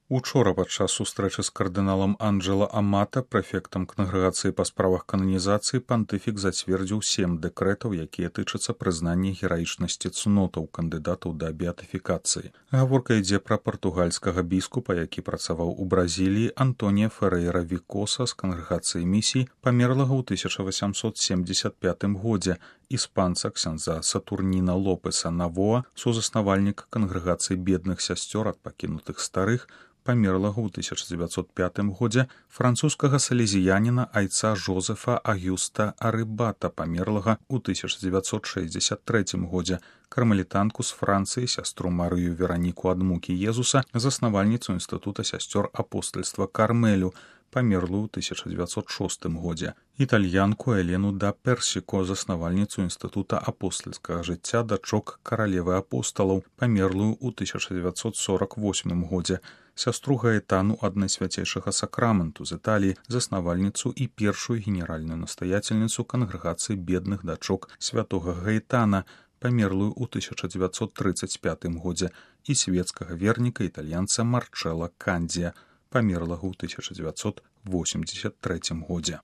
Учора падчас сустрэчы з кардыналам Анджела Амата, прэфектам кангрэгацыі па справах кананізацыі, пантыфік зацвердзіў 7 дэкрэтаў, якія тычацца прызнання гераічнасці цнотаў кандыдатаў да беатыфікацыі. Гаворка ідзе пра партугальскага біскупа, які працаваў у Бразіліі, Антонія Ферейра Викоса з кангрэгацыі місій, памерлага ў 1875 годзе, іспанца ксяндза Сатурніна Лопеса Навоа, сузаснавальніка кангрэгацыі бедных сясцёр ад пакінутых старых, памерлага ў 1905 годзе, французскага салезіяніна айца Жозефа Агюста Арыбата, памерлага ў 1963 годзе, кармелітанку з Францыі, сястру Марыю Вераніку ад мукі Езуса, заснавальніцу інстытута сясцёр апостальства Кармелю, памерлую ў 1906 годзе, італьянку Элену да Персіко, заснавальніцу інстытута апостальскага жыцця дачок каралевы апосталаў, памерлую ў 1948 годзе, сястру Гаэтану ад Найсвяцейшага сакраменту з Італіі, заснавальніцу і першую генеральную настаяцельніцу кангрэгацыі бедных дачок святога Гаэтана, памерлую ў 1935 годзе, і свецкага верніка італьянца Марчэла Кандзія, памерлага ў 1983 годзе.